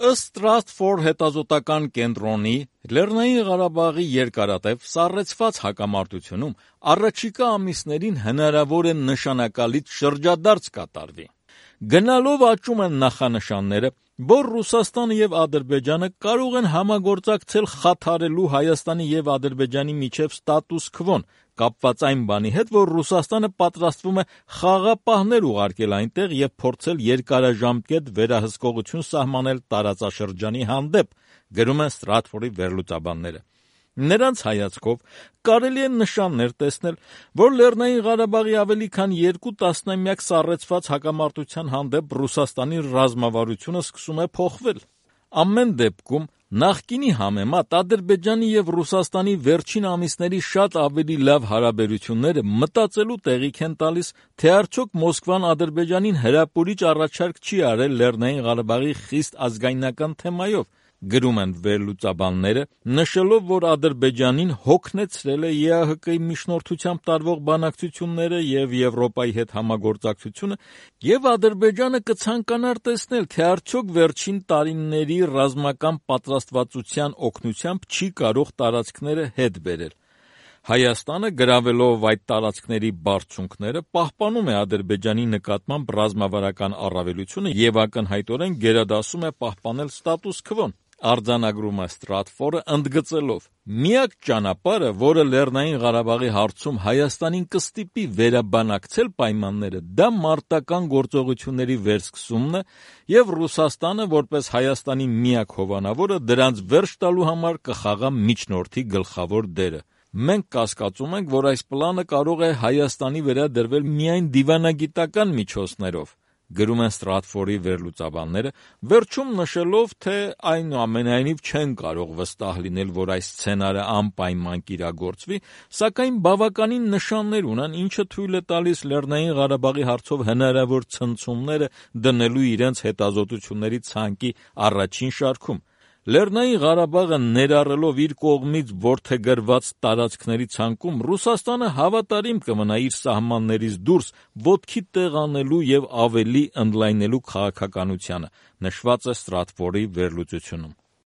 Ըստ Stratfor հետազոտական կենտրոնի, Լեռնային Ղարաբաղի երկարատև սառեցված հակամարտությունում առաջիկա ամիսներին հնարավոր է նշանակալից շրջադարձ կատարվի։ Գնալով աճում են նախանշանները, որ Ռուսաստանը և Ադրբեջանը կարող են համագործակցել խաթարելու Հայաստանի և Ադրբեջանի միջև ստատուս քվոն, կապված այն բանի հետ, որ Ռուսաստանը պատրաստվում է խաղապահներ ուղարկել այնտեղ և փորձել երկարաժամկետ վերահսկողություն սահմանել տարածաշրջանի հանդեպ, գրում են Stratfor-ի վերլուծաբանները։ Նրանց հայացքով կարելի է նշաններ տեսնել, որ Լեռնային Ղարաբաղի ավելի քան 2 տասնամյակ սառեցված հակամարտության հանդեպ Ռուսաստանի ռազմավարությունը սկսում է փոխվել։ Ամեն դեպքում, նախկինի համեմատ Ադրբեջանի և Ռուսաստանի վերջին ամիսների շատ ավելի լավ հարաբերությունները մտածելու տեղիք են տալիս, թե արդյոք Մոսկվան Ադրբեջանին հրապուրիչ առաջարկ չի արել Լեռնային Ղարաբաղի խիստ ազգայնական թեմայով, գրում են վերլուծաբանները, նշելով, որ Ադրբեջանին հոգնեցրել է ԵԱՀԿ-ի միջնորդությամբ տարվող բանակցությունները և Եվրոպայի հետ համագործակցությունը, և Ադրբեջանը կցանկանար տեսնել, թե արդյոք վերջին տարիների ռազմական պատրաստվածության օգնությամբ չի կարող տարածքները հետ բերել։ Հայաստանը, գրավելով այդ տարածքների բարձունքները, պահպանում է Ադրբեջանի նկատմամբ ռազմավարական առավելությունը և ակնհայտորեն գերադասում է պահպանել ստատուս քվոն։ Արձանագրում է Stratfor-ը, ընդգծելով. «Միակ ճանապարհը, որը Լեռնային Ղարաբաղի հարցում Հայաստանին կստիպի վերաբանակցել պայմանները, դա մարտական գործողությունների վերսկսումն է և Ռուսաստանը, որպես Հայաստանի միակ հովանավորը, դրանց վերջ տալու համար կխաղա միջնորդի գլխավոր դերը։ Մենք կասկածում ենք, որ այս պլանը կարող է Հայաստանի վրա դրվել միայն դիվանագիտական միջոցներով», գրում են Stratfor-ի վերլուծաբանները, վերջում նշելով, թե այնուամենայնիվ չեն կարող վստահ լինել, որ այս սցենարը անպայման կիրագործվի, սակայն բավականին նշաններ ունեն, ինչը թույլ է տալիս Լեռնային Ղարաբաղի հարցով հնարավոր ցնցումները դնելու իրենց հետազոտությունների ցանկի առաջին շարքում։ Լեռնային Ղարաբաղը ներառելով իր կողմից որդեգրված տարածքների ցանկում Ռուսաստանը հավատարիմ կմնա իր սահմաններից դուրս ոտքի տեղ անելու և ավելի ընդլայնելու քաղաքականությանը, նշված է Stratfor-ի վերլուծությունում։